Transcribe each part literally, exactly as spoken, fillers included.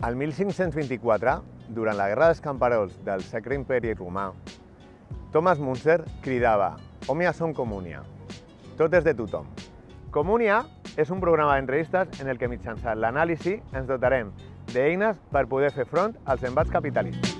Al mil cinc-cents vint-i-quatre, durant la Guerra dels Camperols del Sacre Imperi Romà, Thomas Müntzer cridava «Omnia sum communia», tot és de tothom. Communia és un programa d'entrevistes en el que mitjançant l'anàlisi ens dotarem d'eines per poder fer front als embats capitalistes.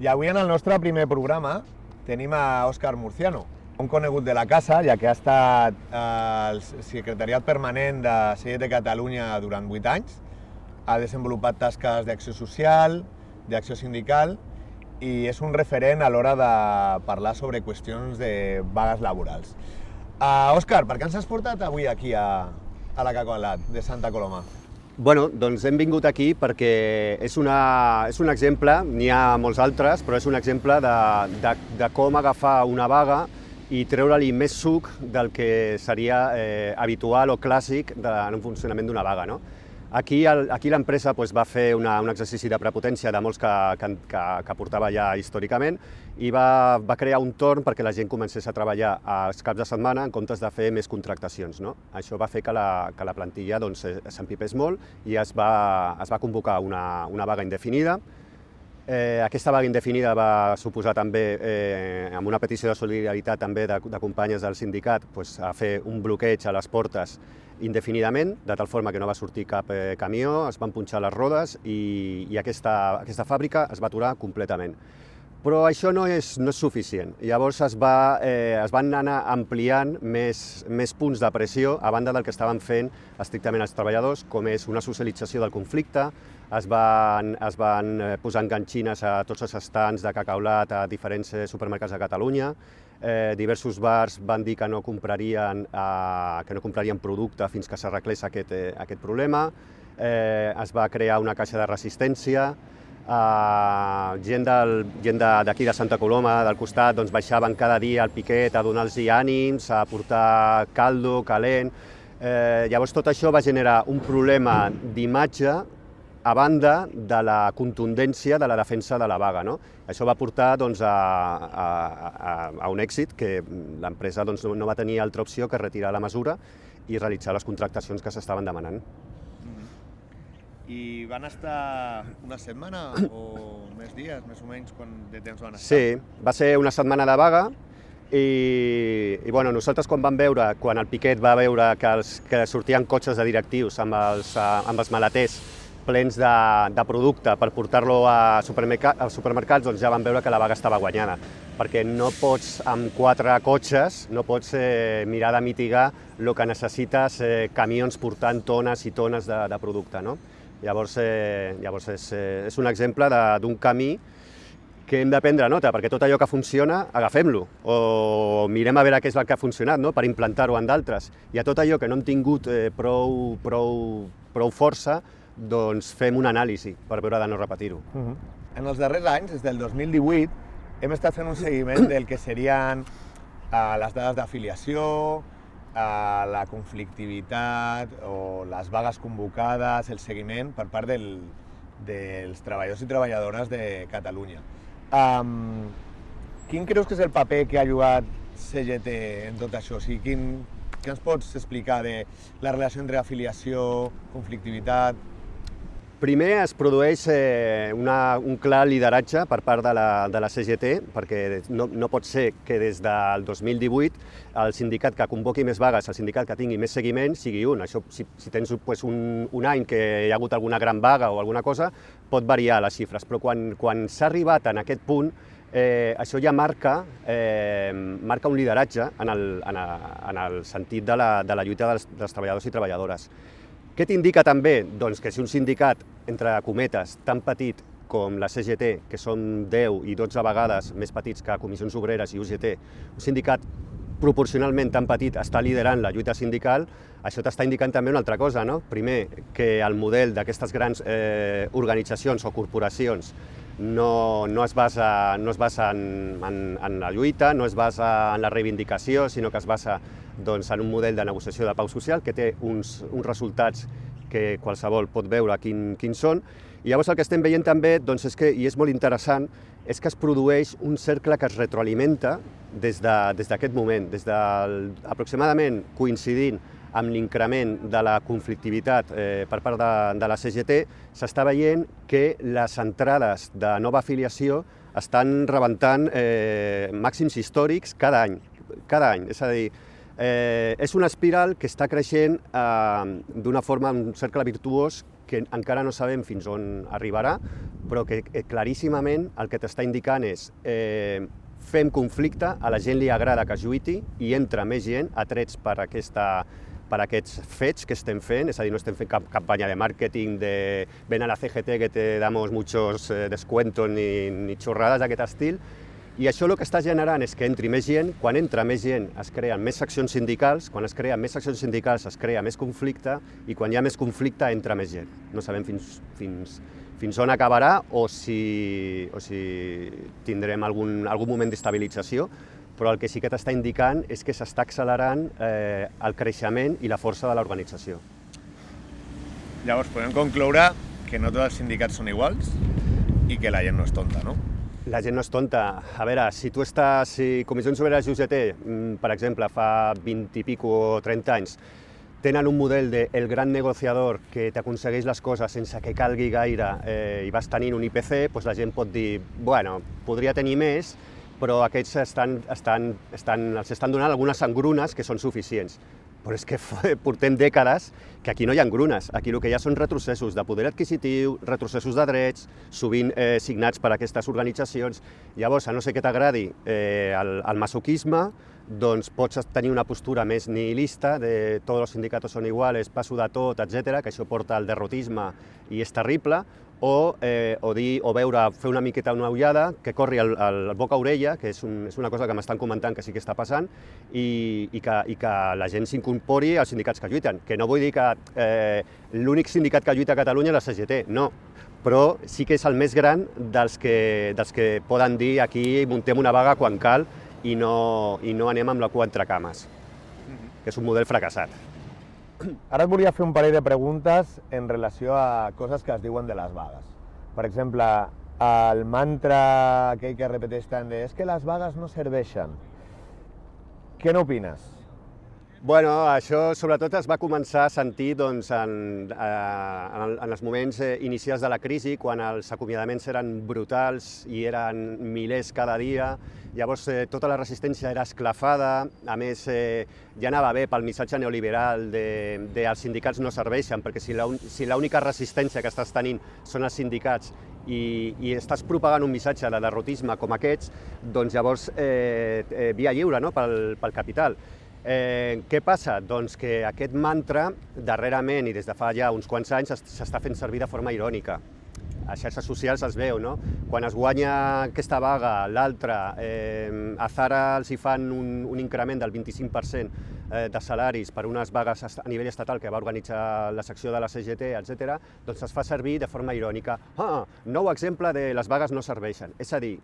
I avui en el nostre primer programa tenim a Òscar Murciano, un conegut de la casa, ja que ha estat al secretariat permanent de C G T Catalunya durant vuit anys, ha desenvolupat tasques d'acció social, d'acció sindical i és un referent a l'hora de parlar sobre qüestions de vagues laborals. Uh, Òscar, per què ens has portat avui aquí a, a la Cacolat de Santa Coloma? Bueno, doncs hem vingut aquí perquè és, una, és un exemple, n'hi ha molts altres, però és un exemple de, de, de com agafar una vaga i treure-li més suc del que seria eh, habitual o clàssic de, en un funcionament d'una vaga, no? Aquí, el, aquí l'empresa pues, va fer una, un exercici de prepotència de molts que, que, que, que portava ja històricament i va, va crear un torn perquè la gent comencés a treballar als caps de setmana en comptes de fer més contractacions, no? Això va fer que la, que la plantilla doncs, s'empipés molt i es va, es va convocar una, una vaga indefinida. Eh, aquesta vaga indefinida va suposar també, eh, amb una petició de solidaritat també de, de companyes del sindicat, pues, a fer un bloqueig a les portes indefinidament, de tal forma que no va sortir cap eh, camió, es van punxar les rodes i, i aquesta, aquesta fàbrica es va aturar completament. Però això no és, no és suficient. Llavors es, va, eh, es van anar ampliant més, més punts de pressió a banda del que estaven fent estrictament els treballadors, com és una socialització del conflicte, es van, es van posar enganxines a tots els estants de cacaulat a diferents supermercats de Catalunya. Eh, diversos bars van dir que no comprarien, eh, que no comprarien producte fins que s'arreglés aquest, eh, aquest problema. Eh, es va crear una caixa de resistència. Eh, gent del, gent d'aquí de, de Santa Coloma, del costat, doncs baixaven cada dia al piquet a donar-los ànims, a portar caldo, calent. Eh, llavors tot això va generar un problema d'imatge a banda de la contundència de la defensa de la vaga, no? Això va portar doncs, a, a, a, a un èxit que l'empresa doncs, no, no va tenir altra opció que retirar la mesura i realitzar les contractacions que s'estaven demanant. Mm-hmm. I van estar una setmana o més dies, més o menys, quan de temps van estar? Sí, va ser una setmana de vaga i, i bueno, nosaltres quan vam veure, quan el piquet va veure que, els, que sortien cotxes de directius amb els, amb els maleters plens de, de producte per portar-lo a supermercats, als supermercats, doncs ja vam veure que la vaga estava guanyada, perquè no pots, amb quatre cotxes, no pots eh, mirar de mitigar el que necessites eh, camions portant tones i tones de, de producte, no? Llavors, eh, llavors és, eh, és un exemple d'un camí que hem de prendre nota, perquè tot allò que funciona, agafem-lo, o mirem a veure què és el que ha funcionat, no? Per implantar-ho en d'altres. I a tot allò que no hem tingut eh, prou, prou, prou força, doncs fem una anàlisi per veure de no repetir-ho. Uh-huh. En els darrers anys, des del dos mil divuit, hem estat fent un seguiment del que serien uh, les dades d'afiliació, uh, la conflictivitat o les vagues convocades, el seguiment per part del, dels treballadors i treballadores de Catalunya. Um, quin creus que és el paper que ha jugat C G T en tot això? O sigui, quin, què ens pots explicar de la relació entre afiliació, conflictivitat? Primer es produeix eh, una, un clar lideratge per part de la, de la C G T, perquè no, no pot ser que des del dos mil divuit el sindicat que convoqui més vagues, el sindicat que tingui més seguiment, sigui un. Això, si, si tens pues, un, un any que hi ha hagut alguna gran vaga o alguna cosa, pot variar les xifres, però quan, quan s'ha arribat en aquest punt, eh, això ja marca, eh, marca un lideratge en el, en el, en el sentit de la, de la lluita dels, dels treballadors i treballadores. Què t'indica també? Doncs que si un sindicat, entre cometes, tan petit com la C G T, que són deu i dotze vegades més petits que Comissions Obreres i U G T, un sindicat proporcionalment tan petit està liderant la lluita sindical, això t'està indicant també una altra cosa, no? Primer, que el model d'aquestes grans eh, organitzacions o corporacions no, no es basa, no es basa en, en, en la lluita, no es basa en la reivindicació, sinó que es basa doncs, en un model de negociació de pau social que té uns, uns resultats que qualsevol pot veure quin, quins són. I llavors el que estem veient també, doncs és que, i és molt interessant, és que es produeix un cercle que es retroalimenta des d'aquest de, moment, des del, aproximadament coincidint amb l'increment de la conflictivitat eh, per part de, de la C G T, s'està veient que les entrades de nova afiliació estan rebentant eh, màxims històrics cada any. Cada any, és a dir, eh, és una espiral que està creixent eh, d'una forma, un cercle virtuós que encara no sabem fins on arribarà, però que eh, claríssimament el que t'està indicant és eh, fem conflicte, a la gent li agrada que es lluiti i entra més gent atrets per, aquesta, per aquests fets que estem fent, és a dir, no estem fent cap campanya de màrqueting de ven a la C G T que te damos muchos eh, descuentos ni, ni xorrades d'aquest estil. I això el que està generant és que entri més gent, quan entra més gent es creen més seccions sindicals, quan es creen més seccions sindicals es crea més conflicte i quan hi ha més conflicte entra més gent. No sabem fins, fins, fins on acabarà o si, o si tindrem algun, algun moment d'estabilització, però el que sí que t'està indicant és que s'està accelerant eh, el creixement i la força de l'organització. Llavors podem concloure que no tots els sindicats són iguals i que la gent no és tonta, no? La gent no és tonta. A veure, si tu estàs, si Comissions Obreres i U G T, per exemple, fa vint i pico o trenta anys, tenen un model de el gran negociador que t'aconsegueix les coses sense que calgui gaire eh, i vas tenint un I P C, doncs la gent pot dir, bueno, podria tenir més, però aquests estan, estan, estan, els estan donant algunes engrunes que són suficients. Però és que portem dècades que aquí no hi ha engrunes, aquí el que hi ha són retrocessos de poder adquisitiu, retrocessos de drets, sovint eh, signats per aquestes organitzacions. Llavors, a no ser que t'agradi eh, el, el masoquisme, doncs pots tenir una postura més nihilista de tots els sindicats són iguals, passo de tot, etcètera, que això porta al derrotisme i és terrible, o, eh, o, dir, o veure, fer una miqueta una ullada, que corri el, el boca a orella, que és, un, és una cosa que m'estan comentant que sí que està passant, i, i, que, i que la gent s'incorpori als sindicats que lluiten. Que no vull dir que eh, l'únic sindicat que lluita a Catalunya és la C G T, no, però sí que és el més gran dels que, dels que poden dir aquí muntem una vaga quan cal i no, i no anem amb la cua entre cames, que és un model fracassat. Ara et volia fer un parell de preguntes en relació a coses que es diuen de les vagues. Per exemple, el mantra aquell que repeteix tant de és que les vagues no serveixen. Què n'opines? Bueno, això sobretot es va començar a sentir doncs, en, en, en els moments inicials de la crisi, quan els acomiadaments eren brutals i eren milers cada dia. Llavors eh, tota la resistència era esclafada, a més eh, ja anava bé pel missatge neoliberal de, de els sindicats no serveixen, perquè si l'única si resistència que estàs tenint són els sindicats i, i estàs propagant un missatge de derrotisme com aquests, doncs llavors eh, eh, via lliure, no?, pel, pel capital. Eh, què passa? Doncs que aquest mantra, darrerament i des de fa ja uns quants anys, s'està fent servir de forma irònica. A xarxes socials es veu, no? Quan es guanya aquesta vaga, l'altra, eh, a Zara els hi fan un, un increment del vint-i-cinc per cent eh, de salaris per unes vagues a nivell estatal que va organitzar la secció de la C G T, etcètera, doncs es fa servir de forma irònica. Ah, nou exemple de les vagues no serveixen. És a dir,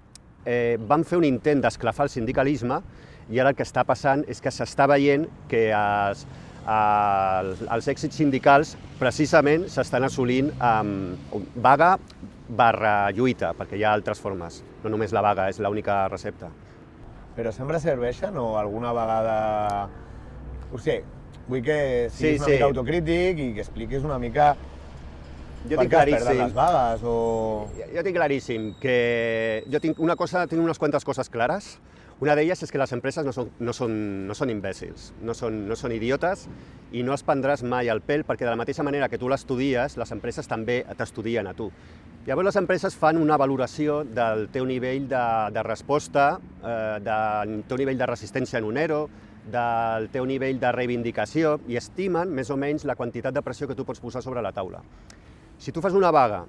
eh, van fer un intent d'esclafar el sindicalisme i ara el que està passant és que s'està veient que els, els, els èxits sindicals precisament s'estan assolint amb vaga barra lluita, perquè hi ha altres formes, no només la vaga és l'única recepta. Però sempre serveixen o alguna vegada... O sigui, vull que siguis sí, una sí. mica autocrític i que expliquis una mica jo per tinc què es perden claríssim. les vagues o... Jo, jo tinc claríssim que jo tinc una cosa, tinc unes quantes coses clares. Una d'elles és que les empreses no són, no són, no són imbècils, no són, no són idiotes i no els prendràs mai al pèl perquè de la mateixa manera que tu l'estudies, les empreses també t'estudien a tu. Llavors les empreses fan una valoració del teu nivell de, de resposta, eh, del teu nivell de resistència en un ERO, del teu nivell de reivindicació i estimen més o menys la quantitat de pressió que tu pots posar sobre la taula. Si tu fas una vaga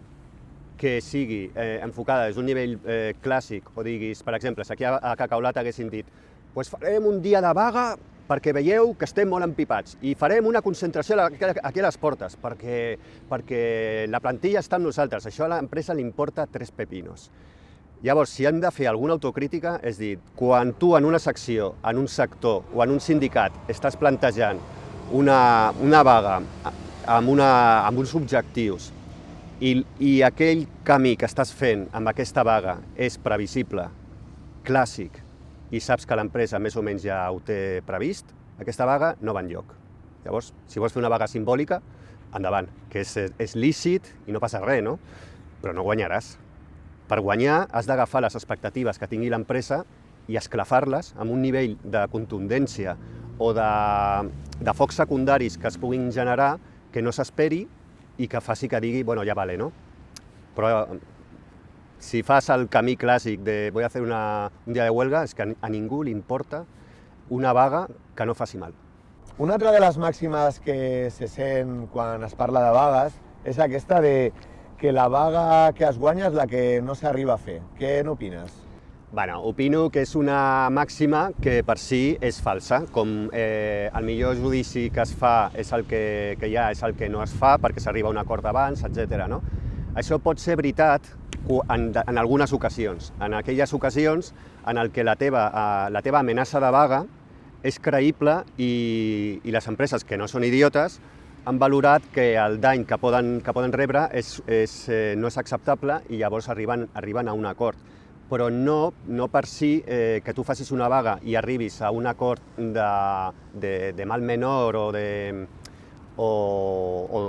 que sigui eh, enfocada des d'un nivell eh, clàssic, o diguis, per exemple, si aquí a, a Cacaulat haguessin dit pues farem un dia de vaga perquè veieu que estem molt empipats i farem una concentració aquí a les portes perquè, perquè la plantilla està amb nosaltres, això a l'empresa li importa tres pepinos. Llavors, si hem de fer alguna autocrítica, és dir, quan tu en una secció, en un sector o en un sindicat estàs plantejant una, una vaga amb, una, amb uns objectius i, i aquell camí que estàs fent amb aquesta vaga és previsible, clàssic, i saps que l'empresa més o menys ja ho té previst, aquesta vaga no va enlloc. Llavors, si vols fer una vaga simbòlica, endavant, que és, és lícit i no passa res, no? Però no guanyaràs. Per guanyar has d'agafar les expectatives que tingui l'empresa i esclafar-les amb un nivell de contundència o de, de focs secundaris que es puguin generar que no s'esperi i que faci que digui, bueno, ja vale, no? Però si fas el camí clàssic de voy a hacer una, un dia de huelga, és que a ningú li importa una vaga que no faci mal. Una altra de les màximes que se sent quan es parla de vagues és aquesta de que la vaga que es guanya és la que no s'arriba a fer. Què n'opines? Bueno, opino que és una màxima que per si és falsa, com eh, el millor judici que es fa és el que, que hi ha, és el que no es fa perquè s'arriba a un acord abans, etcètera. No? Això pot ser veritat en, en algunes ocasions, en aquelles ocasions en el que la teva, eh, la teva amenaça de vaga és creïble i, i les empreses que no són idiotes han valorat que el dany que poden, que poden rebre és, és, eh, no és acceptable i llavors arriben, arriben a un acord. Però no, no per si eh, que tu facis una vaga i arribis a un acord de, de, de mal menor o, de, o, o,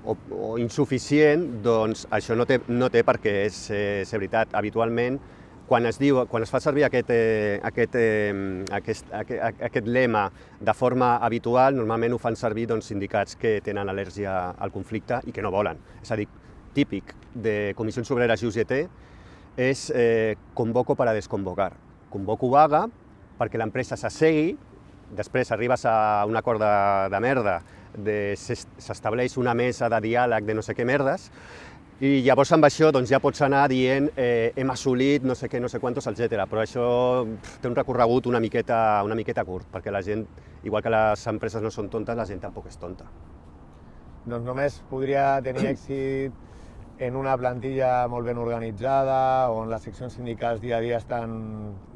o, o insuficient, doncs això no té, no té perquè és, eh, és veritat. Habitualment, quan es, diu, quan es fa servir aquest, eh, aquest, eh, aquest, aquest, aquest lema de forma habitual, normalment ho fan servir doncs, sindicats que tenen al·lèrgia al conflicte i que no volen. És a dir, típic de Comissions Obreres i U G T, és eh, convoco per a desconvocar. Convoco vaga perquè l'empresa s'assegui, després arribes a un acord de, de merda, s'estableix una mesa de diàleg de no sé què merdes, i llavors amb això doncs, ja pots anar dient eh, hem assolit no sé què, no sé quantos, etcètera. Però això pff, té un recorregut una miqueta, una miqueta curt, perquè la gent, igual que les empreses no són tontes, la gent tampoc és tonta. Doncs només podria tenir èxit en una plantilla molt ben organitzada, on les seccions sindicals dia a dia estan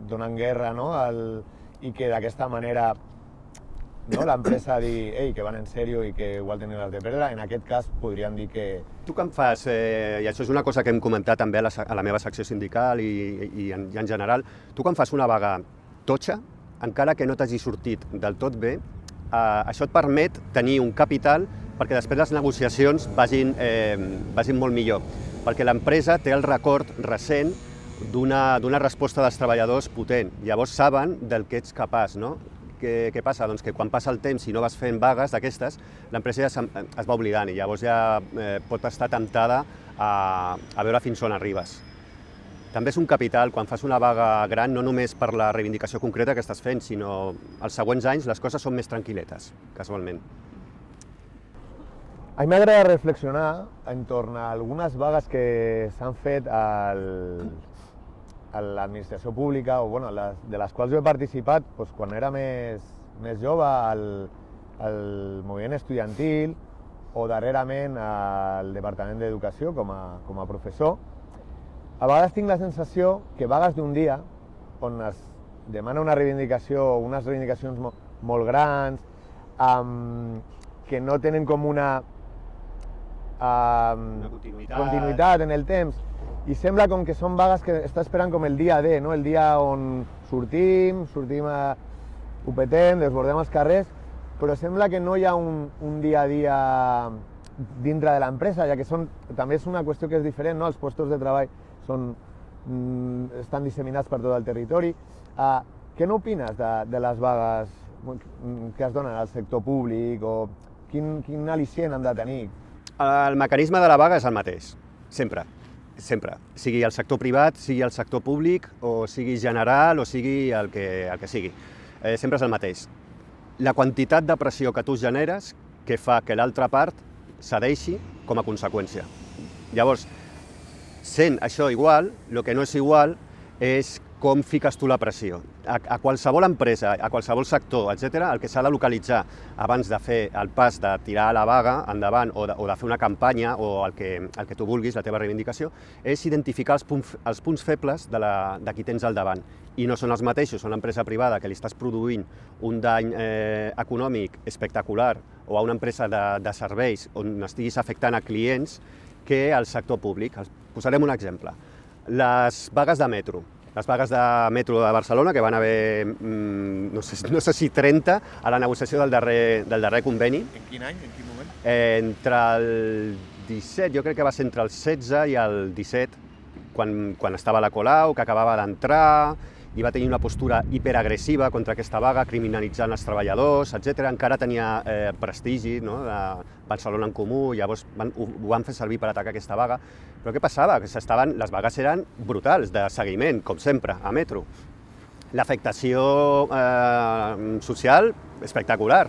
donant guerra, no? El, i que d'aquesta manera no? l'empresa digui ei, que van en sèrio i que igual tenen les de perdre. En aquest cas podríem dir que... Tu què em fas, eh, i això és una cosa que hem comentat també a la, a la meva secció sindical i, i, en, i en general, tu que em fas una vaga totxa, encara que no t'hagi sortit del tot bé, eh, això et permet tenir un capital perquè després les negociacions vagin, eh, vagin molt millor, perquè l'empresa té el record recent d'una resposta dels treballadors potent. Llavors saben del que ets capaç, no? Què, què passa? Doncs que quan passa el temps i no vas fent vagues d'aquestes, l'empresa ja es, es va oblidant i llavors ja eh, pot estar temptada a, a veure fins on arribes. També és un capital, quan fas una vaga gran, no només per la reivindicació concreta que estàs fent, sinó els següents anys les coses són més tranquil·letes, casualment. A mi m'agrada reflexionar entorn a algunes vagues que s'han fet al, a l'administració pública, o bueno, les, de les quals jo he participat doncs, quan era més, més jove al, al moviment estudiantil o darrerament al Departament d'Educació com a, com a professor. A vegades tinc la sensació que vagues d'un dia, on es demana una reivindicació, unes reivindicacions mo, molt grans, um, que no tenen com una Uh, continuïtat. continuïtat en el temps i sembla com que són vagues que està esperant com el dia D, no? El dia on sortim, sortim a... ho petem, desbordem els carrers, però sembla que no hi ha un, un dia a dia dintre de l'empresa, ja que són, també és una qüestió que és diferent, no? Els llocs de treball són, mm, estan disseminats per tot el territori. Uh, què n'opines de, de les vagues que es donen al sector públic o quin, quin al·licient han de tenir? El mecanisme de la vaga és el mateix, sempre, sempre. Sigui el sector privat, sigui el sector públic, o sigui general, o sigui el que, el que sigui. Eh, sempre és el mateix. La quantitat de pressió que tu generes que fa que l'altra part cedeixi com a conseqüència. Llavors, sent això igual, el que no és igual és com fiques tu la pressió. A, a qualsevol empresa, a qualsevol sector, etcètera, el que s'ha de localitzar abans de fer el pas de tirar la vaga endavant o de, o de fer una campanya o el que, el que tu vulguis, la teva reivindicació, és identificar els, punts, els punts febles de, la, de qui tens al davant. I no són els mateixos, són l'empresa privada que li estàs produint un dany eh, econòmic espectacular o a una empresa de, de serveis on estiguis afectant a clients que al sector públic. Posarem un exemple. Les vagues de metro. Les vagues de metro de Barcelona, que van haver, no sé, no sé si trenta, a la negociació del darrer, del darrer conveni. En quin any? En quin moment? Eh, entre el disset, jo crec que va ser entre el setze i el disset, quan, quan estava la Colau, que acabava d'entrar, i va tenir una postura hiperagressiva contra aquesta vaga, criminalitzant els treballadors, etcètera. Encara tenia eh, prestigi, no?, de Barcelona en Comú, llavors van, ho, ho van fer servir per atacar aquesta vaga. Però què passava? Que estaven, les vagues eren brutals, de seguiment, com sempre, a metro. L'afectació eh, social, espectacular.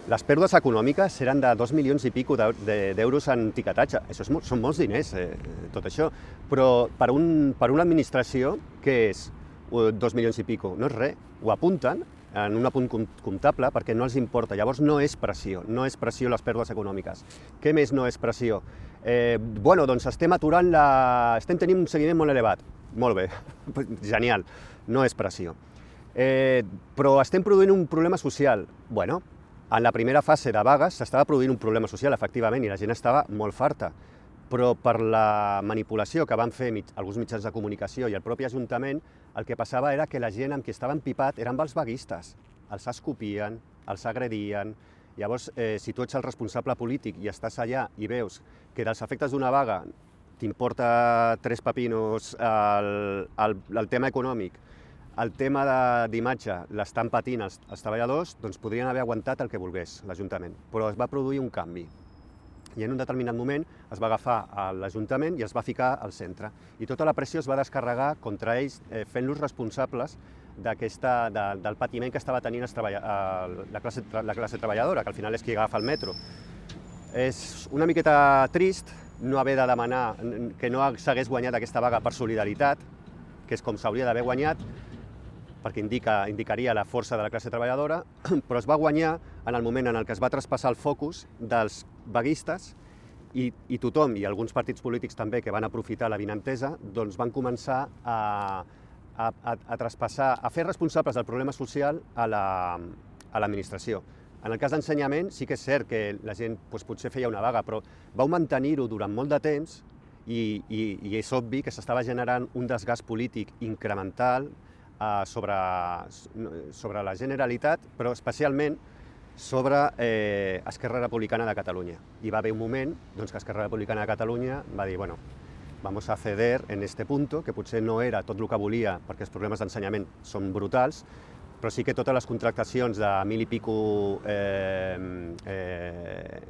Les pèrdues econòmiques eren de dos milions i pico d'euros en tiquetatge. Això és, són molts diners, eh, tot això. Però per, un, per una administració, què és? Dos milions i pico, no és res, ho apunten en un apunt comptable perquè no els importa, llavors no és pressió, no és pressió les pèrdues econòmiques. Què més no és pressió? Eh, bueno, doncs estem aturant la... estem tenint un seguiment molt elevat, molt bé, genial, no és pressió. Eh, però estem produint un problema social, bueno, en la primera fase de vagues s'estava produint un problema social, efectivament, i la gent estava molt farta, però per la manipulació que van fer mig, alguns mitjans de comunicació i el propi Ajuntament, el que passava era que la gent amb qui estava empipat eren els vaguistes. Els escopien, els agredien. Llavors, eh, si tu ets el responsable polític i estàs allà i veus que dels efectes d'una vaga t'importa tres pepinos el, el, el tema econòmic, el tema d'imatge l'estan patint els, els treballadors, doncs podrien haver aguantat el que volgués l'Ajuntament. Però es va produir un canvi. I en un determinat moment es va agafar a l'Ajuntament i es va ficar al centre. I tota la pressió es va descarregar contra ells, eh, fent-los responsables d'aquesta, de, del patiment que estava tenint els treballa, eh, la, classe, la classe treballadora, que al final és qui agafa el metro. És una miqueta trist no haver de demanar que no s'hagués guanyat aquesta vaga per solidaritat, que és com s'hauria d'haver guanyat, perquè indica, indicaria la força de la classe treballadora, però es va guanyar en el moment en el que es va traspassar el focus dels vaguistes i, i tothom, i alguns partits polítics també que van aprofitar la vinentesa, doncs van començar a, a, a, a traspassar, a fer responsables del problema social a l'administració. En el cas d'ensenyament sí que és cert que la gent doncs, potser feia una vaga, però vau mantenir-ho durant molt de temps i, i, i és obvi que s'estava generant un desgast polític incremental Sobre, sobre la Generalitat, però especialment sobre eh, Esquerra Republicana de Catalunya. I va haver un moment doncs, que Esquerra Republicana de Catalunya va dir, bueno, vamos a ceder en este punto, que potser no era tot el que volia, perquè els problemes d'ensenyament són brutals, però sí que totes les contractacions de mil i pico eh, eh,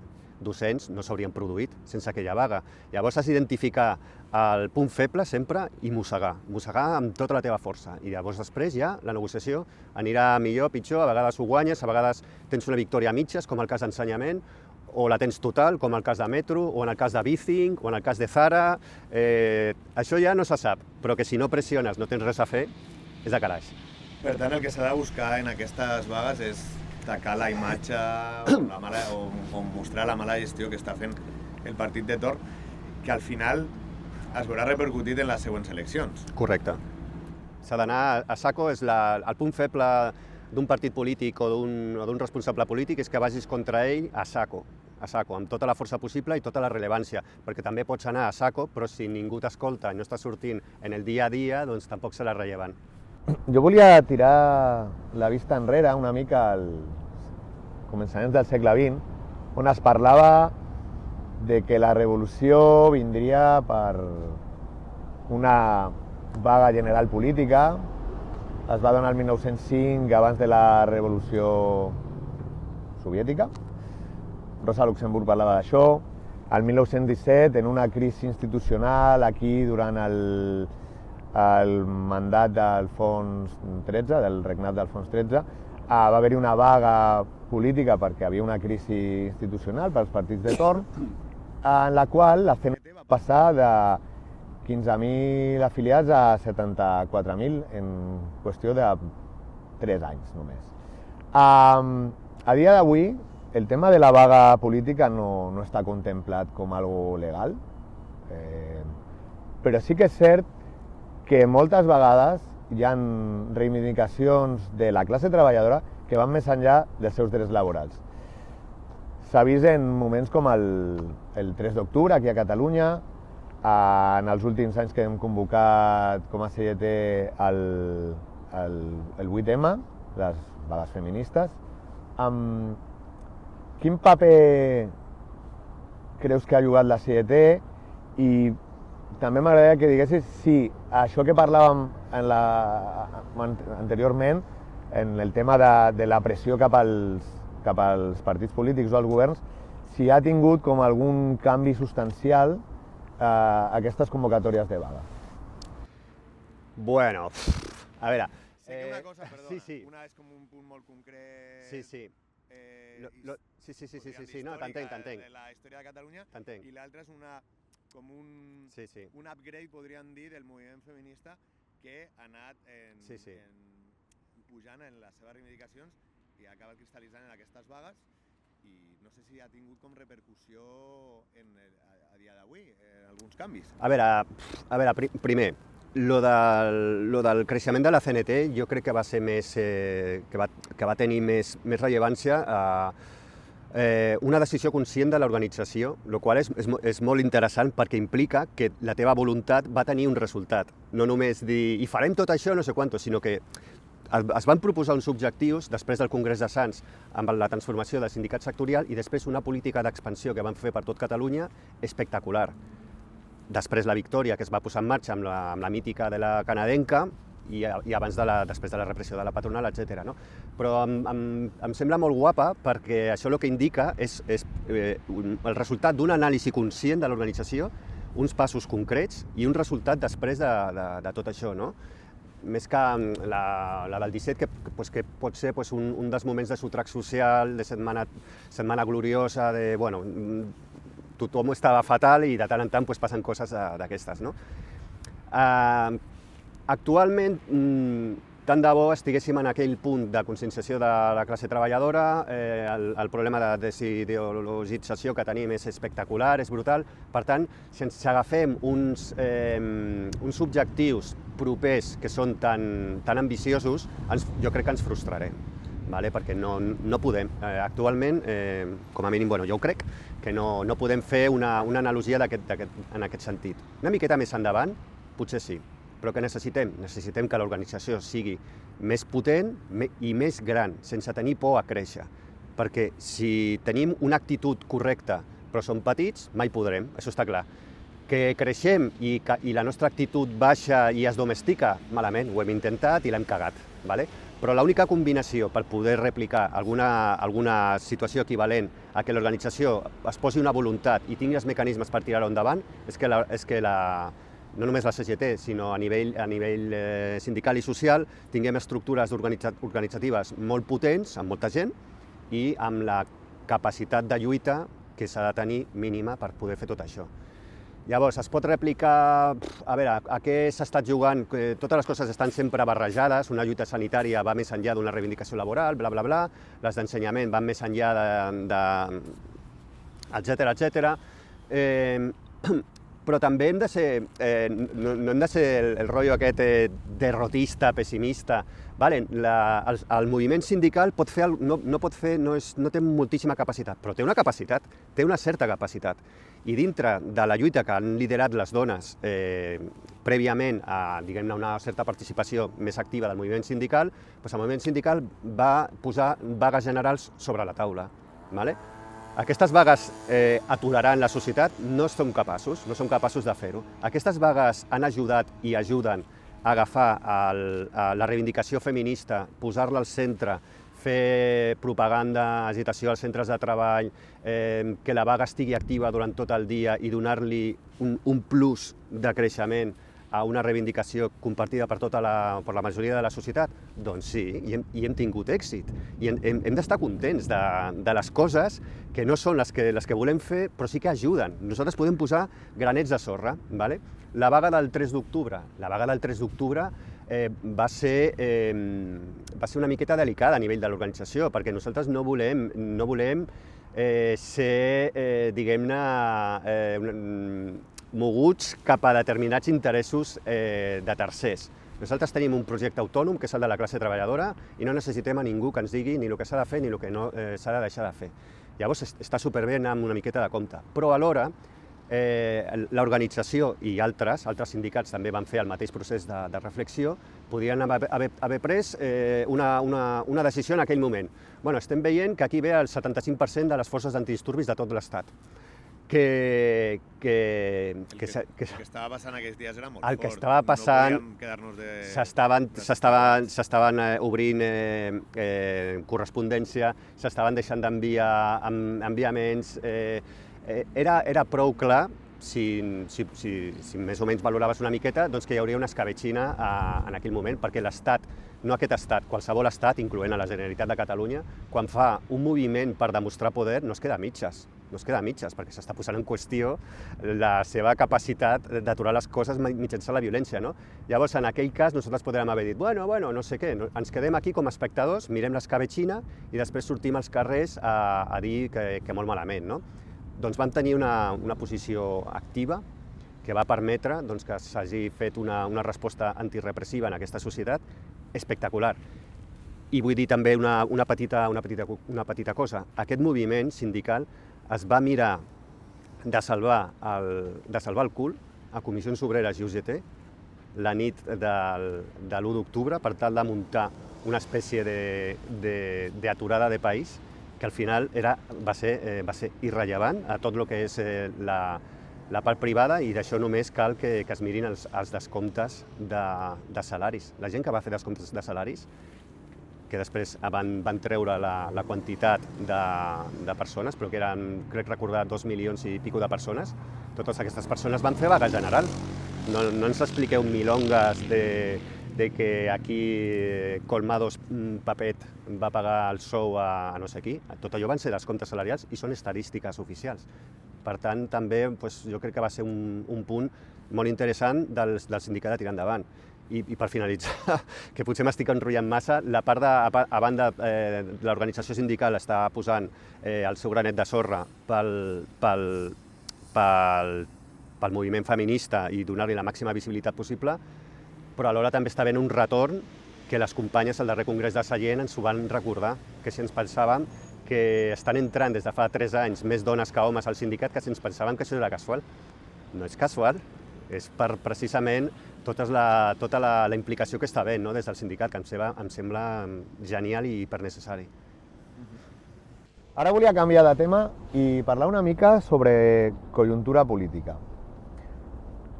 docents no s'haurien produït sense aquella vaga. Llavors has d'identificar el punt feble sempre i mossegar, mossegar amb tota la teva força. I llavors després ja la negociació anirà millor, pitjor, a vegades ho guanyes, a vegades tens una victòria a mitges, com el cas d'ensenyament, o la tens total, com el cas de Metro, o en el cas de Bicing, o en el cas de Zara. Eh, això ja no se sap, però que si no pressiones, no tens res a fer, és de calaix. Per tant, el que s'ha de buscar en aquestes vagues és tacar la imatge o, la mala, o, o mostrar la mala gestió que està fent el partit de torn, que al final es veurà repercutit en les següents eleccions. Correcte. S'ha d'anar a saco, és la, el punt feble d'un partit polític o d'un responsable polític és que vagis contra ell a saco, a saco, amb tota la força possible i tota la rellevància, perquè també pots anar a saco, però si ningú t'escolta i no està sortint en el dia a dia, doncs tampoc serà rellevant. Jo volia tirar la vista enrere una mica als començaments del segle vint, on es parlava de que la revolució vindria per una vaga general política. Es va donar el mil nou-cents cinc, abans de la revolució soviètica. Rosa Luxemburg parlava d'això. El mil nou-cents disset, en una crisi institucional, aquí durant el el mandat d'Alfons tretze, del regnat d'Alfons tretze, va haver-hi una vaga política perquè hi havia una crisi institucional pels partits de torn, en la qual la C N T va passar de quinze mil afiliats a setanta-quatre mil en qüestió de tres anys només. Um, a dia d'avui, el tema de la vaga política no, no està contemplat com algo legal, eh, però sí que és cert que moltes vegades hi ha reivindicacions de la classe treballadora que van més enllà dels seus drets laborals. S'ha vist en moments com el, el tres d'octubre aquí a Catalunya, en els últims anys que hem convocat com a C G T el, el, el vuit eme, les vagues feministes. Um, quin paper creus que ha jugat la C G T? I també m'agradaria que diguessis si això que parlàvem en la, anteriorment, en el tema de, de la pressió cap als, cap als partits polítics o als governs, si ha tingut com algun canvi substancial Uh, aquestes convocatòries de vaga. Bueno, a veure... Sé que una cosa, perdona, sí, sí. una és com un punt molt concret... Sí, sí. Eh, lo, lo, sí, sí, sí, sí, sí, sí, no, t'entenc, t'entenc. De la història de Catalunya, i l'altra és una, com un, sí, sí. un upgrade, podríem dir, del moviment feminista que ha anat en, sí, sí. en, pujant en les seves reivindicacions i ha acabat cristal·litzant en aquestes vagues. I no sé si ha tingut com repercussió en el, a, a dia d'avui, en alguns canvis. A veure, a veure pr primer, lo del, lo del creixement de la C N T jo crec que va ser més, eh, que, va, que va tenir més, més rellevància a eh, una decisió conscient de l'organització, el qual és, és, és molt interessant perquè implica que la teva voluntat va tenir un resultat. No només dir, i farem tot això, no sé quantos, sinó que es van proposar uns objectius després del Congrés de Sants amb la transformació del sindicat sectorial i després una política d'expansió que van fer per tot Catalunya espectacular. Després la victòria que es va posar en marxa amb la, amb la mítica de la canadenca i, i abans de la, després de la repressió de la patronal, etcètera. No? Però em, em, em sembla molt guapa perquè això el que indica és, és eh, un, el resultat d'un anàlisi conscient de l'organització, uns passos concrets i un resultat després de, de, de tot això. No? Més que la, la del disset, que, pues, que pot ser pues, un, un dels moments de sotrac social, de setmana, setmana gloriosa, de, bueno, tothom estava fatal i de tant en tant pues, passen coses d'aquestes. No? Uh, actualment, tant de bo estiguéssim en aquell punt de conscienciació de la classe treballadora, eh, el, el problema de desideologització que tenim és espectacular, és brutal. Per tant, si ens agafem uns, eh, uns objectius propers que són tan, tan ambiciosos, ens, jo crec que ens frustrarem, vale? Perquè no, no podem. Eh, actualment, eh, com a mínim, bueno, jo ho crec, que no, no podem fer una, una analogia d'aquest, d'aquest, en aquest sentit. Una miqueta més endavant, potser sí. Però què necessitem? Necessitem que l'organització sigui més potent i més gran, sense tenir por a créixer. Perquè si tenim una actitud correcta però som petits, mai podrem, això està clar. Que creixem i, i la nostra actitud baixa i es domestica, malament, ho hem intentat i l'hem cagat. Vale? Però l'única combinació per poder replicar alguna, alguna situació equivalent a que l'organització es posi una voluntat i tingui els mecanismes per tirar-ho endavant és que la, és que la no només la C G T, sinó a nivell, a nivell eh, sindical i social, tinguem estructures organitzatives molt potents, amb molta gent, i amb la capacitat de lluita que s'ha de tenir mínima per poder fer tot això. Llavors, es pot replicar, a veure, a què s'ha estat jugant, totes les coses estan sempre barrejades, una lluita sanitària va més enllà d'una reivindicació laboral, bla, bla, bla, les d'ensenyament van més enllà de... de etcètera, etcètera. Eh, però també hem de ser, eh, no, no hem de ser el, el rotllo aquest eh, derrotista, pessimista. Vale, la, el, el moviment sindical pot fer, no, no, pot fer no, és, no té moltíssima capacitat, però té una capacitat, té una certa capacitat. I dintre de la lluita que han liderat les dones eh, prèviament a diguem-ne una certa participació més activa del moviment sindical, doncs el moviment sindical va posar vagues generals sobre la taula. Vale? Aquestes vagues eh, aturaran la societat? No som capaços, no som capaços de fer-ho. Aquestes vagues han ajudat i ajuden a agafar el, a la reivindicació feminista, posar-la al centre, fer propaganda, agitació als centres de treball, eh, que la vaga estigui activa durant tot el dia i donar-li un, un plus de creixement a una reivindicació compartida per tota la, per la majoria de la societat? Doncs sí, i hem, i hem tingut èxit. I hem, hem, hem d'estar contents de, de les coses que no són les que, les que volem fer, però sí que ajuden. Nosaltres podem posar granets de sorra. ¿Vale? La vaga del tres d'octubre. La vaga del tres d'octubre eh, va, ser, eh, va ser una miqueta delicada a nivell de l'organització, perquè nosaltres no volem, no volem eh, ser, eh, diguem-ne, eh, moguts cap a determinats interessos eh, de tercers. Nosaltres tenim un projecte autònom, que és el de la classe treballadora, i no necessitem a ningú que ens digui ni el que s'ha de fer ni el que no eh, s'ha de deixar de fer. Llavors està superbé anar amb una miqueta de compte. Però alhora, eh, l'organització i altres, altres sindicats també van fer el mateix procés de, de reflexió, podien haver, haver, haver pres eh, una, una, una decisió en aquell moment. Bueno, estem veient que aquí ve el setanta-cinc per cent de les forces d'antidisturbis de tot l'Estat. Que, que, que, que, que, que estava passant aquests dies era molt el fort. que estava passant, no quedar-nos de... s'estaven s'estaven s'estaven eh, obrint eh, eh, correspondència, s'estaven deixant d'enviar enviaments, eh, eh, era, era prou clar, si, si, si, si més o menys valoraves una miqueta, doncs que hi hauria una escabetxina a, en aquell moment, perquè l'Estat, no aquest estat, qualsevol estat, incloent a la Generalitat de Catalunya, quan fa un moviment per demostrar poder, no es queda a mitges. No es queda a mitges, perquè s'està posant en qüestió la seva capacitat d'aturar les coses mitjançant la violència, no? Llavors, en aquell cas, nosaltres podríem haver dit, bueno, bueno, no sé què, no, ens quedem aquí com a espectadors, mirem l'escabetxina i després sortim als carrers a, a dir que, que molt malament, no? Doncs vam tenir una, una posició activa que va permetre doncs, que s'hagi fet una, una resposta antirepressiva en aquesta societat espectacular. I vull dir també una, una, petita, una, petita, una petita cosa. Aquest moviment sindical es va mirar de salvar el, de salvar el cul a Comissions Obreres i U G T la nit del, de l'u d'octubre per tal de muntar una espècie d'aturada de, de, de país que al final era, va, ser, eh, va ser irrellevant a tot el que és eh, la, la part privada, i d'això només cal que, que es mirin els, els descomptes de, de salaris. La gent que va fer descomptes de salaris, que després van, van treure la, la quantitat de, de persones, però que eren, crec recordar, dos milions i pico de persones, totes aquestes persones van fer vaga general. No, no ens expliqueu milongas de, de que aquí Colmados Papet va pagar el sou a, a no sé qui. Tot allò van ser descomptes salarials i són estadístiques oficials. Per tant, també pues, jo crec que va ser un, un punt molt interessant del, del sindicat de tirar endavant. I, i per finalitzar, que potser m'estic enrotllant massa, la part de, a, a banda, eh, l'organització sindical està posant eh, el seu granet de sorra pel, pel, pel, pel moviment feminista i donar-li la màxima visibilitat possible, però alhora també està havent un retorn que les companyes al darrer congrés de Sallent ens ho van recordar, que si ens pensàvem que estan entrant des de fa tres anys més dones que homes al sindicat, que si ens pensàvem que això era casual. No és casual, és per precisament tota la, tota la, la implicació que està havent, no, des del sindicat, que em sembla, em sembla genial i hipernecessari. Ara volia canviar de tema i parlar una mica sobre conjuntura política.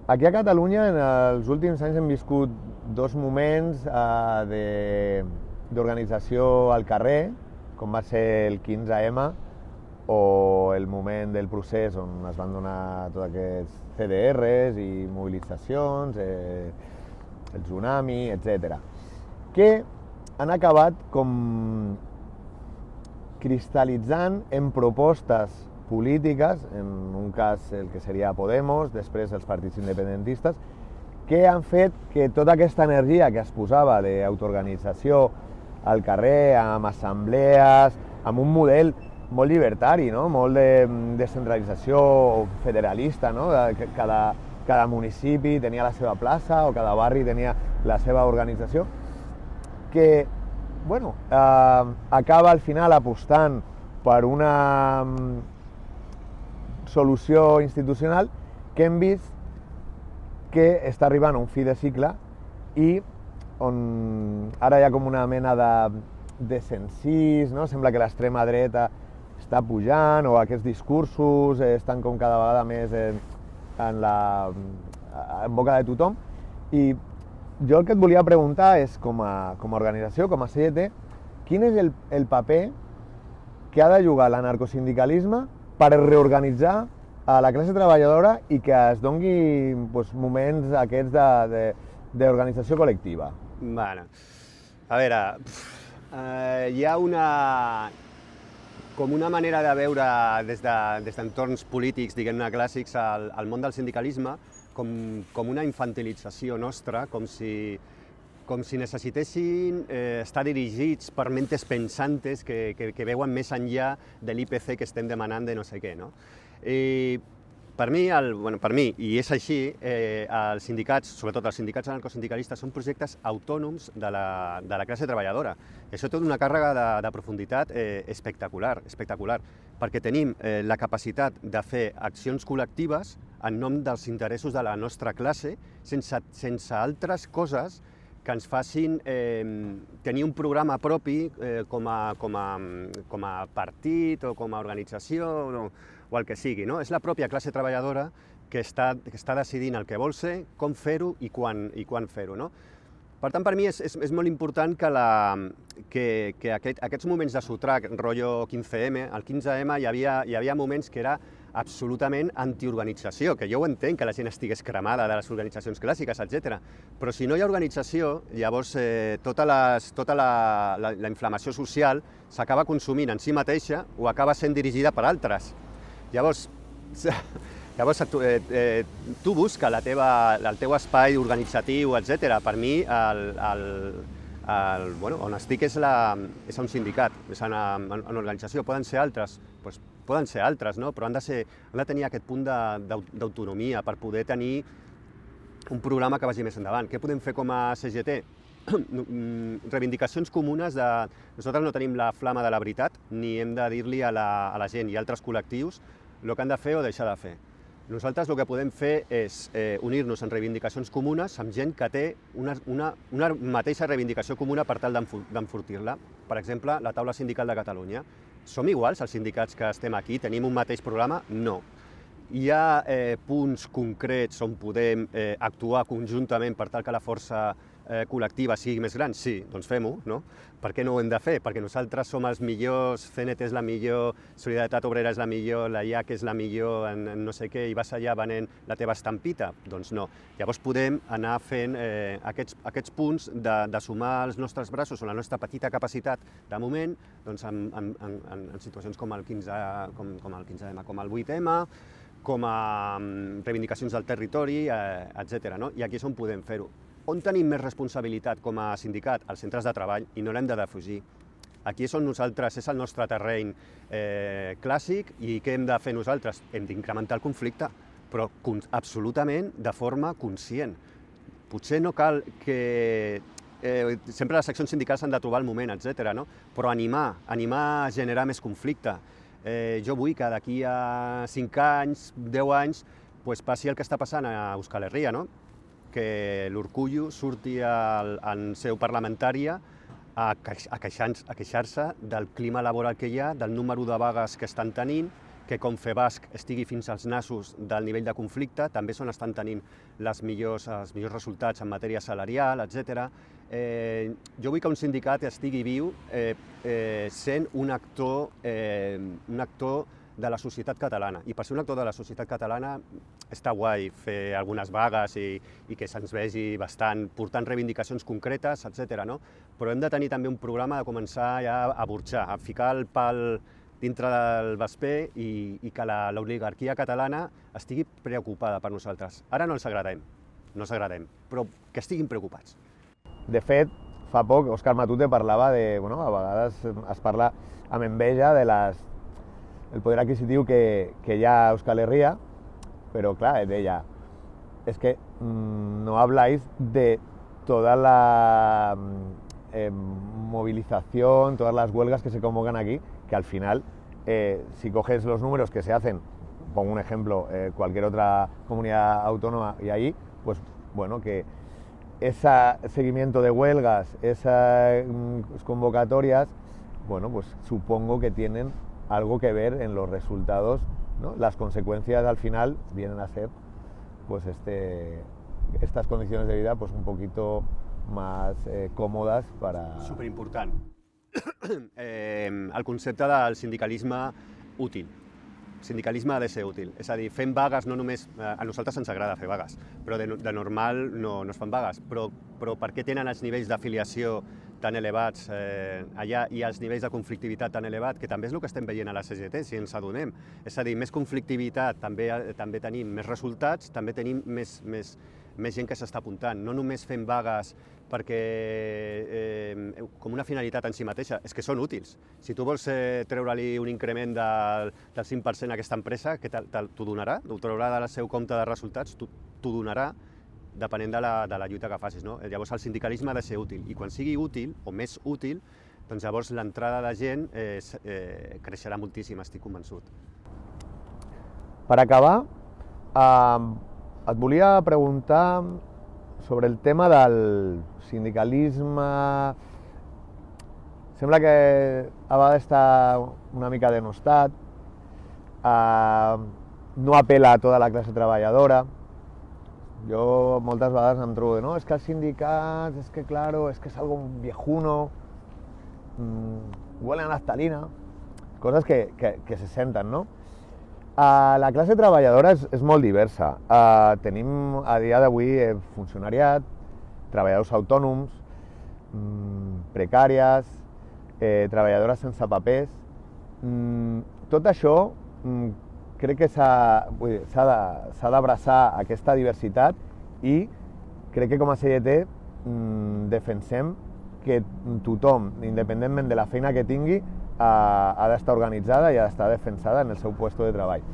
Aquí a Catalunya, en els últims anys hem viscut dos moments eh, d'organització al carrer, com va ser el quinze ema o el moment del procés on es van donar tots aquests ce de erres i mobilitzacions, eh, el tsunami, etcètera, que han acabat com cristal·litzant en propostes polítiques, en un cas el que seria Podemos, després els partits independentistes, que han fet que tota aquesta energia que es posava d'autoorganització al carrer, amb assemblees, amb un model molt llibertari, no? Molt de descentralització federalista, no? Cada, cada municipi tenia la seva plaça o cada barri tenia la seva organització, que bueno, eh, acaba al final apostant per una solució institucional que hem vist que està arribant a un fi de cicle i on ara hi ha com una mena de, de censís, no? Sembla que l'extrema dreta està pujant o aquests discursos estan com cada vegada més en, en, la, en boca de tothom. I jo el que et volia preguntar és, com a, com a organització, com a C G T, quin és el, el paper que ha de jugar l'anarcosindicalisme per reorganitzar a la classe treballadora i que es dongui doncs, moments aquests d'organització col·lectiva? Bueno, a veure, eh, hi ha una... com una manera de veure des d'entorns de, polítics, diguem-ne clàssics, el, el món del sindicalisme com, com una infantilització nostra, com si, com si necessitessin eh, estar dirigits per mentes pensantes que, que, que veuen més enllà de l'I P C que estem demanant de no sé què. No? I per mi, el, bueno, per mi, i és així, eh, els sindicats, sobretot els sindicats anarcosindicalistes, són projectes autònoms de la, de la classe treballadora. I això té una càrrega de, de profunditat eh, espectacular, espectacular, perquè tenim eh, la capacitat de fer accions col·lectives en nom dels interessos de la nostra classe, sense, sense altres coses que ens facin eh, tenir un programa propi eh, com, a, com, a, com a partit o com a organització o, o el que sigui. No? És la pròpia classe treballadora que està, que està decidint el que vol ser, com fer-ho i quan, i quan fer-ho. No? Per tant, per mi és, és, és molt important que, la, que, que aquest, aquests moments de sotrac, rotllo quinze eme, al quinze eme hi havia, hi havia moments que era absolutament antiorganització, que jo ho entenc, que la gent estigués cremada de les organitzacions clàssiques, etcètera. Però si no hi ha organització, llavors eh, tota, les, tota la, la, la inflamació social s'acaba consumint en si mateixa o acaba sent dirigida per altres. Llavors, llavors tu, eh, eh, tu busca la teva, el teu espai organitzatiu, etcètera. Per mi, el, el, el, bueno, on estic és, la, és un sindicat, és una, una organització. Poden ser altres, doncs, poden ser altres, no? Però han de, ser, han de tenir aquest punt d'autonomia per poder tenir un programa que vagi més endavant. Què podem fer com a C G T? Reivindicacions comunes de... Nosaltres no tenim la flama de la veritat, ni hem de dir-li a, la, a la gent i a altres col·lectius el que han de fer o deixar de fer. Nosaltres el que podem fer és eh, unir-nos en reivindicacions comunes amb gent que té una, una, una mateixa reivindicació comuna per tal d'enfortir-la. Per exemple, la taula sindical de Catalunya. Som iguals els sindicats que estem aquí? Tenim un mateix programa? No. Hi ha eh, punts concrets on podem eh, actuar conjuntament per tal que la força eh, col·lectiva sigui més gran? Sí, doncs fem-ho, no? Per què no ho hem de fer? Perquè nosaltres som els millors, C N T és la millor, Solidaritat Obrera és la millor, la I A C és la millor en, en no sé què, i vas allà venent la teva estampita? Doncs no. Llavors podem anar fent eh, aquests, aquests punts de, de sumar els nostres braços o la nostra petita capacitat de moment doncs en, en, en, en situacions com el quinze com, com el quinze eme, com el vuit eme, com a reivindicacions del territori, eh, etcètera. No? I aquí és on podem fer-ho. On tenim més responsabilitat com a sindicat? Als centres de treball, i no l'hem de defugir. Aquí és on nosaltres, és el nostre terreny eh, clàssic, i què hem de fer nosaltres? Hem d'incrementar el conflicte, però absolutament de forma conscient. Potser no cal que... Eh, sempre les seccions sindicals han de trobar el moment, etcètera, no? Però animar, animar a generar més conflicte. Eh, jo vull que d'aquí a cinc anys, deu anys, pues, passi el que està passant a Euskal Herria, no? Que l'Urkullu surti al, en seu parlamentària a, a queixar-se del clima laboral que hi ha, del número de vagues que estan tenint, que Confebasc estigui fins als nassos del nivell de conflicte, també són estan tenint les millors, els millors resultats en matèria salarial, etcètera. Eh, jo vull que un sindicat estigui viu eh, eh, sent un actor, eh, un actor de la societat catalana. I per ser un actor de la societat catalana està guai fer algunes vagues i, i que se'ns vegi bastant, portant reivindicacions concretes, etcètera. No? Però hem de tenir també un programa de començar ja a burxar, a ficar el pal dintre del vesper i, i que l'oligarquia catalana estigui preocupada per nosaltres. Ara no els agradem, no els agradem, però que estiguin preocupats. De fet, fa poc Òscar Matute parlava de... Bueno, a vegades es parla amb enveja de les, el poder adquisitiu que, que hi ha a Euskal Herria, però clar, deia, es que mmm, no habláis de toda la eh, movilización, todas las huelgas que se convocan aquí, que al final, eh, si coges los números que se hacen, pongo un ejemplo, eh, cualquier otra comunidad autónoma y ahí, pues bueno, que ese seguimiento de huelgas, esas convocatorias, bueno, pues supongo que tienen algo que ver en los resultados, ¿no? Las consecuencias al final vienen a ser, pues este, estas condiciones de vida, pues un poquito más eh, còmodes para... Superimportant. eh, el concepte del sindicalisme útil. sindicalisme ha de ser útil. És a dir, fem vagues no només... A nosaltres ens agrada fer vagues, però de, de normal no, no es fan vagues. Però, però per què tenen els nivells d'afiliació tan elevats eh, allà i els nivells de conflictivitat tan elevats, que també és el que estem veient a la C G T, si ens adonem. És a dir, més conflictivitat, també, també tenim més resultats, també tenim més, més, més gent que s'està apuntant. No només fem vagues perquè eh, com una finalitat en si mateixa, és que són útils. Si tu vols eh, treure-li un increment del, del cinc per cent a aquesta empresa, que t'ho donarà, t'ho traurà del seu compte de resultats, t'ho donarà, depenent de la, de la lluita que facis. No? Llavors el sindicalisme ha de ser útil, i quan sigui útil, o més útil, doncs llavors l'entrada de gent eh, eh, creixerà moltíssim, estic convençut. Per acabar, eh, et volia preguntar sobre el tema del sindicalisme. Sembla que a vegades està una mica denostat, eh, no apela a tota la classe treballadora. Jo moltes vegades em trobo de, no, és que els sindicats, és que claro, és que és algo viejuno, mmm, huele a naftalina, coses que, que, que se senten, no? Uh, la classe treballadora és, és molt diversa. Uh, tenim a dia d'avui eh, funcionariat, treballadors autònoms, mmm, precàries, eh, treballadores sense papers. Mm, tot això mm, crec que s'ha d'abraçar aquesta diversitat, i crec que com a C G T mmm, defensem que tothom, independentment de la feina que tingui, ha, ha d'estar organitzada i ha d'estar defensada en el seu lloc de treball.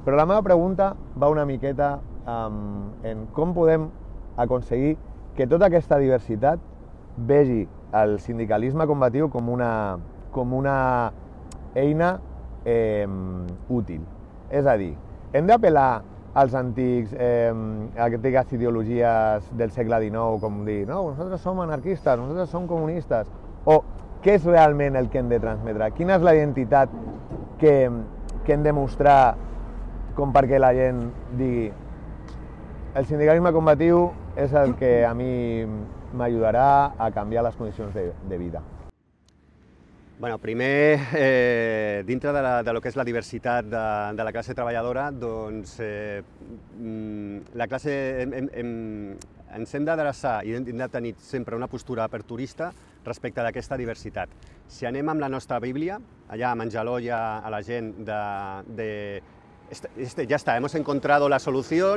Però la meva pregunta va una miqueta um, en com podem aconseguir que tota aquesta diversitat vegi el sindicalisme combatiu com una, com una eina eh, útil. És a dir, hem d'apel·lar als antics, eh, antigues ideologies del segle dinou, com dir, no, nosaltres som anarquistes, nosaltres som comunistes, o què és realment el que hem de transmetre? Quina és la identitat que, que hem de mostrar com perquè la gent digui el sindicalisme combatiu és el que a mi m'ajudarà a canviar les condicions de, de vida? Bueno, primer, eh, dintre de, la, de lo que és la diversitat de, de la classe treballadora, doncs eh, la classe hem, hem, ens hem d'adreçar i hem de tenir sempre una postura aperturista respecte d'aquesta diversitat. Si anem amb la nostra Bíblia, allà a menjar l'olla a la gent de, de este, este, ja està, hemos encontrado la solució,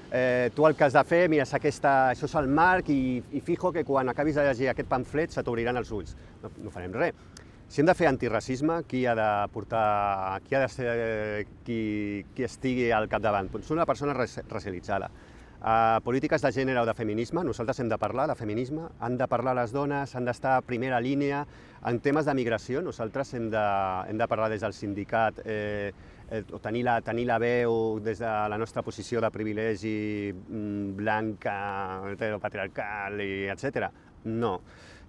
eh, tu el que has de fer, mira, aquesta, això és el marc, i, i fijo que quan acabis de llegir aquest pamflet se t'obriran els ulls. No, no farem res. Si hem de fer antiracisme, qui ha de portar, qui ha de ser qui, qui estigui al capdavant? Doncs una persona racialitzada. Uh, polítiques de gènere o de feminisme, nosaltres hem de parlar de feminisme, han de parlar les dones, han d'estar a primera línia. En temes de migració, nosaltres hem de, hem de parlar des del sindicat, eh, eh, o tenir la, tenir la veu des de la nostra posició de privilegi mm, blanca, heteropatriarcal, i etcètera. No.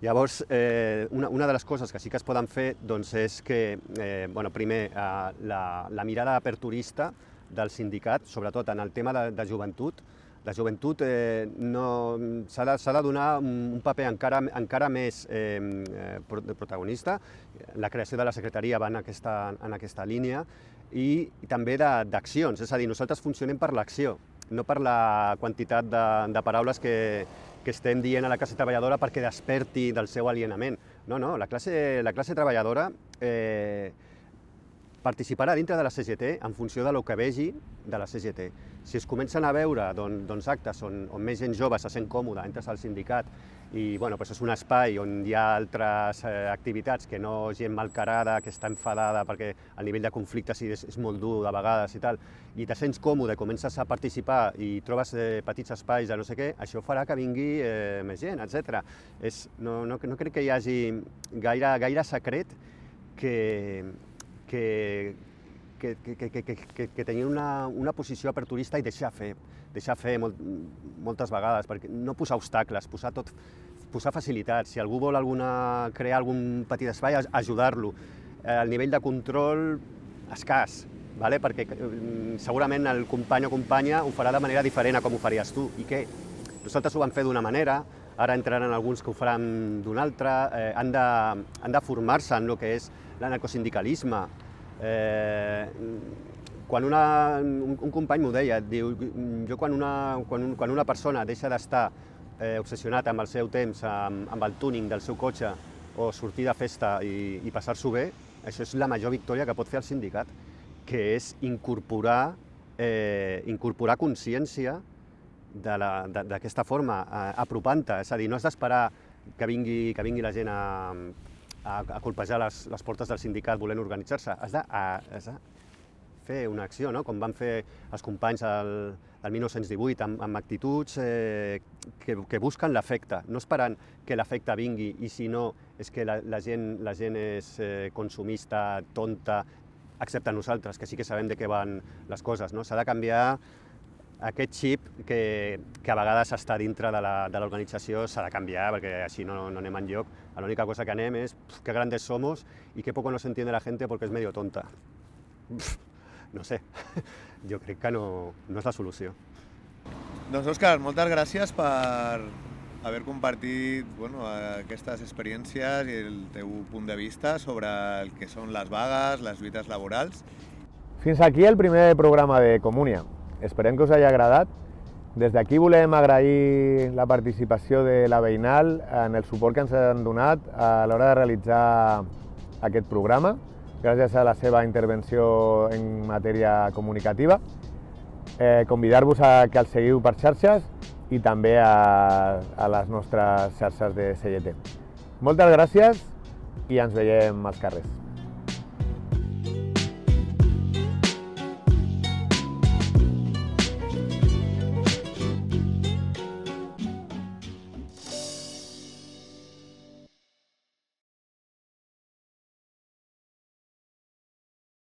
Llavors, eh, una, una de les coses que sí que es poden fer doncs, és que, eh, bueno, primer, eh, la, la mirada aperturista del sindicat, sobretot en el tema de, de joventut. La joventut eh, no, s'ha de, s'ha de donar un paper encara, encara més eh, protagonista. La creació de la secretaria va en aquesta, en aquesta línia, i, i també d'accions, és a dir, nosaltres funcionem per l'acció, no per la quantitat de, de paraules que, que estem dient a la classe treballadora perquè desperti del seu alienament. No, no, la classe, la classe treballadora eh, participarà dintre de la C G T en funció de lo que vegi de la C G T. Si es comencen a veure doncs, doncs actes on, on més gent jove se sent còmoda, entres al sindicat, i bueno, doncs és un espai on hi ha altres eh, activitats que no gent malcarada, que està enfadada perquè el nivell de conflicte sí, és, és molt dur de vegades i tal, i te sents còmode, comences a participar i trobes eh, petits espais de no sé què, això farà que vingui eh, més gent, etcètera. És, no, no, no crec que hi hagi gaire, gaire secret que, que, que, que, que, que, que, que tenir una, una posició aperturista i deixar fer, deixar fer molt, moltes vegades, perquè no posar obstacles, posar tot, posar facilitats. Si algú vol alguna, crear algun petit espai, ajudar-lo. Eh, el nivell de control escàs, vale? Perquè eh, segurament el company o companya ho farà de manera diferent a com ho faries tu. I què? Nosaltres ho vam fer d'una manera, ara entraran alguns que ho faran d'una altra, eh, han de, han de formar-se en el que és l'anarcosindicalisme. Eh, quan una, un, un company m'ho deia, diu, jo quan una, quan, quan una persona deixa d'estar eh, obsessionat amb el seu temps, amb, amb el tuning del seu cotxe, o sortir de festa i, i passar-s'ho bé, això és la major victòria que pot fer el sindicat, que és incorporar, eh, incorporar consciència d'aquesta forma, eh, apropant-te. És a dir, no has d'esperar que vingui, que vingui la gent a, a, a colpejar les, les portes del sindicat volent organitzar-se. Has de, a, has de fer una acció, no? Com van fer els companys el, el mil nou-cents divuit, amb, amb actituds eh, que, que busquen l'efecte, no esperant que l'efecte vingui, i si no és que la, la, gent, la gent és eh, consumista, tonta, excepte nosaltres, que sí que sabem de què van les coses, no? S'ha de canviar aquest xip que, que a vegades està dintre de l'organització, s'ha de canviar perquè així no, no anem enlloc. L'única cosa que anem és pf, que grandes somos y que poco nos entiende la gente porque es medio tonta. Pf, no sé, jo crec que no, no és la solució. Doncs Òscar, moltes gràcies per haver compartit bueno, aquestes experiències i el teu punt de vista sobre el que són les vagues, les lluites laborals. Fins aquí el primer programa de Comunia. Esperem que us hagi agradat. Des d'aquí volem agrair la participació de la Veïnal en el suport que ens han donat a l'hora de realitzar aquest programa, gràcies a la seva intervenció en matèria comunicativa. Eh, Convidar-vos a que els seguiu per xarxes i també a, a les nostres xarxes de C G T. Moltes gràcies i ens veiem als carrers.